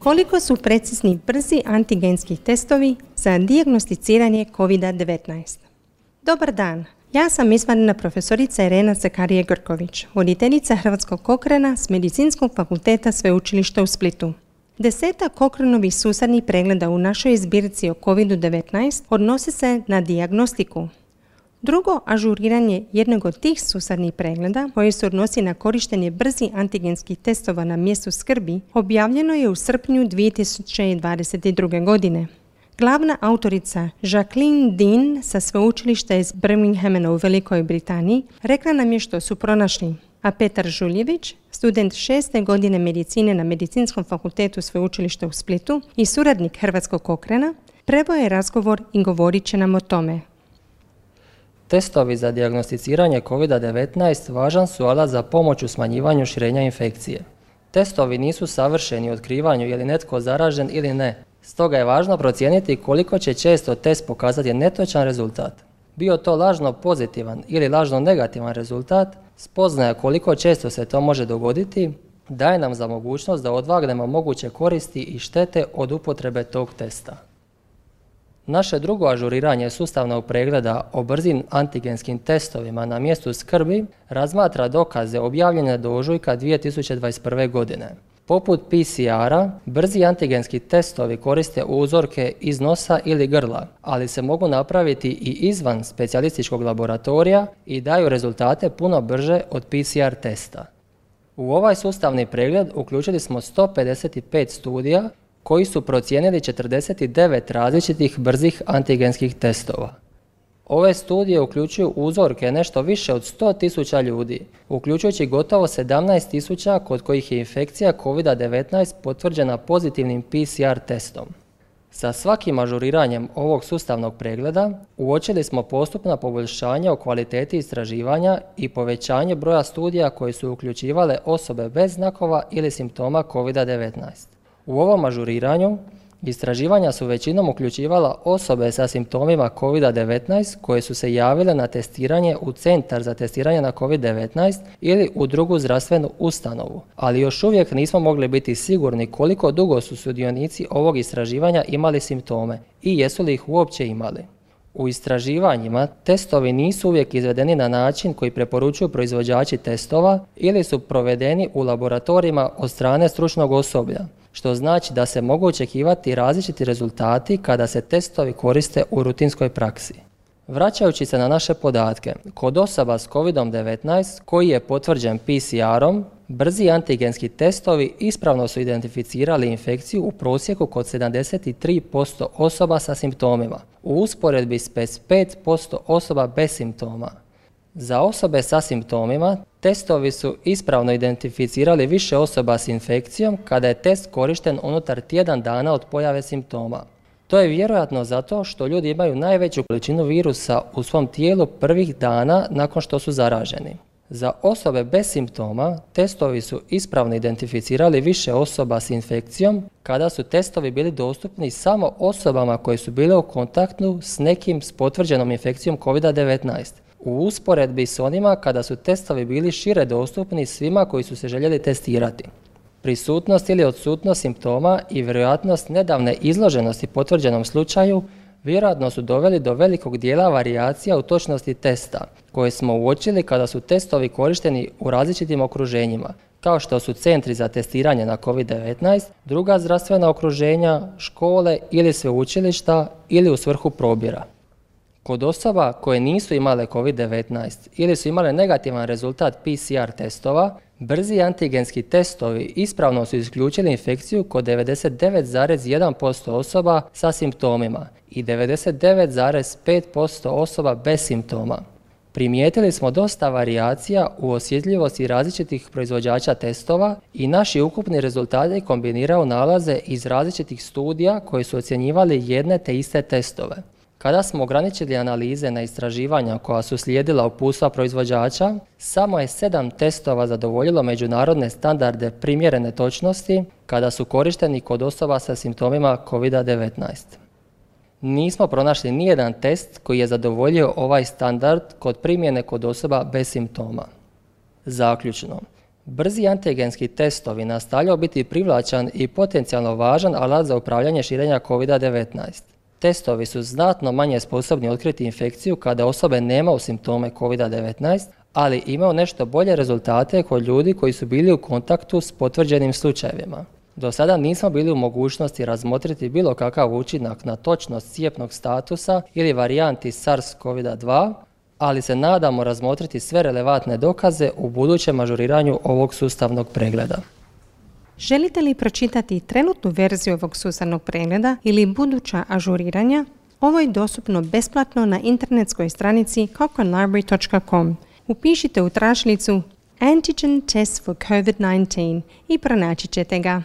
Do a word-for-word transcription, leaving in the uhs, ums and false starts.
Koliko su precizni brzi antigenski testovi za dijagnosticiranje kovid devetnaest? Dobar dan, ja sam izvanredna profesorica Irena Zakarije-Grković, voditeljica Hrvatskog Cochrana s Medicinskog fakulteta Sveučilišta u Splitu. Desetak Cochranovih susadnih pregleda u našoj zbirci o kovid devetnaest odnosi se na dijagnostiku. Drugo ažuriranje jednog od tih susadnih pregleda, koje se odnosi na korištenje brzi antigenskih testova na mjestu skrbi, objavljeno je u srpnju dvije tisuće dvadeset druge. godine. Glavna autorica Jacqueline Dean sa sveučilišta iz Birminghama u Velikoj Britaniji rekla nam je što su pronašli, a Petar Žuljević, student šeste godine medicine na Medicinskom fakultetu Sveučilišta u Splitu i suradnik Hrvatskog Cochrana, preveo je razgovor i govorit će nam o tome. Testovi za dijagnosticiranje kovid devetnaest važan su alat za pomoć u smanjivanju širenja infekcije. Testovi nisu savršeni u otkrivanju je li netko zaražen ili ne, stoga je važno procijeniti koliko će često test pokazati netočan rezultat. Bio to lažno pozitivan ili lažno negativan rezultat, spoznaja koliko često se to može dogoditi, daje nam za mogućnost da odvagnemo moguće koristi i štete od upotrebe tog testa. Naše drugo ažuriranje sustavnog pregleda o brzim antigenskim testovima na mjestu skrbi razmatra dokaze objavljene do ožujka dvije tisuće dvadeset prve. godine. Poput P C R-a, brzi antigenski testovi koriste uzorke iz nosa ili grla, ali se mogu napraviti i izvan specijalističkog laboratorija i daju rezultate puno brže od P C R testa. U ovaj sustavni pregled uključili smo sto pedeset pet studija koji su procijenili četrdeset devet različitih brzih antigenskih testova. Ove studije uključuju uzorke nešto više od sto tisuća ljudi, uključujući gotovo sedamnaest tisuća kod kojih je infekcija kovid devetnaest potvrđena pozitivnim P C R testom. Sa svakim ažuriranjem ovog sustavnog pregleda uočili smo postupna poboljšanja u kvaliteti istraživanja i povećanje broja studija koji su uključivale osobe bez znakova ili simptoma kovid devetnaest. U ovom ažuriranju istraživanja su većinom uključivala osobe sa simptomima kovid devetnaest koje su se javile na testiranje u centar za testiranje na kovid devetnaest ili u drugu zdravstvenu ustanovu, ali još uvijek nismo mogli biti sigurni koliko dugo su sudionici ovog istraživanja imali simptome i jesu li ih uopće imali. U istraživanjima testovi nisu uvijek izvedeni na način koji preporučuju proizvođači testova ili su provedeni u laboratorijima od strane stručnog osoblja, što znači da se mogu očekivati različiti rezultati kada se testovi koriste u rutinskoj praksi. Vraćajući se na naše podatke, kod osoba s kovid devetnaest koji je potvrđen P C R-om, brzi antigenski testovi ispravno su identificirali infekciju u prosjeku kod sedamdeset tri posto osoba sa simptomima, u usporedbi s pedeset pet posto osoba bez simptoma. Za osobe sa simptomima, testovi su ispravno identificirali više osoba s infekcijom kada je test korišten unutar tjedan dana od pojave simptoma. To je vjerojatno zato što ljudi imaju najveću količinu virusa u svom tijelu prvih dana nakon što su zaraženi. Za osobe bez simptoma, testovi su ispravno identificirali više osoba s infekcijom kada su testovi bili dostupni samo osobama koje su bile u kontaktu s nekim s potvrđenom infekcijom kovid devetnaest. U usporedbi s onima kada su testovi bili šire dostupni svima koji su se željeli testirati. Prisutnost ili odsutnost simptoma i vjerojatnost nedavne izloženosti potvrđenom slučaju vjerojatno su doveli do velikog dijela varijacija u točnosti testa, koje smo uočili kada su testovi korišteni u različitim okruženjima, kao što su centri za testiranje na kovid devetnaest, druga zdravstvena okruženja, škole ili sveučilišta ili u svrhu probira. Kod osoba koje nisu imale kovid devetnaest ili su imale negativan rezultat P C R testova, brzi antigenski testovi ispravno su isključili infekciju kod devedeset devet zarez jedan posto osoba sa simptomima i devedeset devet zarez pet posto osoba bez simptoma. Primijetili smo dosta varijacija u osjetljivosti različitih proizvođača testova i naši ukupni rezultati kombiniraju nalaze iz različitih studija koji su ocjenjivali jedne te iste testove. Kada smo ograničili analize na istraživanja koja su slijedila uputstva proizvođača, samo je sedam testova zadovoljilo međunarodne standarde primjerene točnosti kada su korišteni kod osoba sa simptomima kovid devetnaest. Nismo pronašli nijedan test koji je zadovoljio ovaj standard kod primjene kod osoba bez simptoma. Zaključno, Brzi antigenski testovi nastavljaju biti privlačan i potencijalno važan alat za upravljanje širenja kovid devetnaest. Testovi su znatno manje sposobni otkriti infekciju kada osobe nemaju simptome kovid devetnaest, ali imaju nešto bolje rezultate kod ljudi koji su bili u kontaktu s potvrđenim slučajevima. Do sada nismo bili u mogućnosti razmotriti bilo kakav učinak na točnost cijepnog statusa ili varijanti SARS kovid dva, ali se nadamo razmotriti sve relevantne dokaze u budućem ažuriranju ovog sustavnog pregleda. Želite li pročitati trenutnu verziju ovog sustavnog pregleda ili buduća ažuriranja? Ovo je dostupno besplatno na internetskoj stranici cochrane library dot com. Upišite u tražilicu Antigen Test for covid devetnaest i pronaći ćete ga.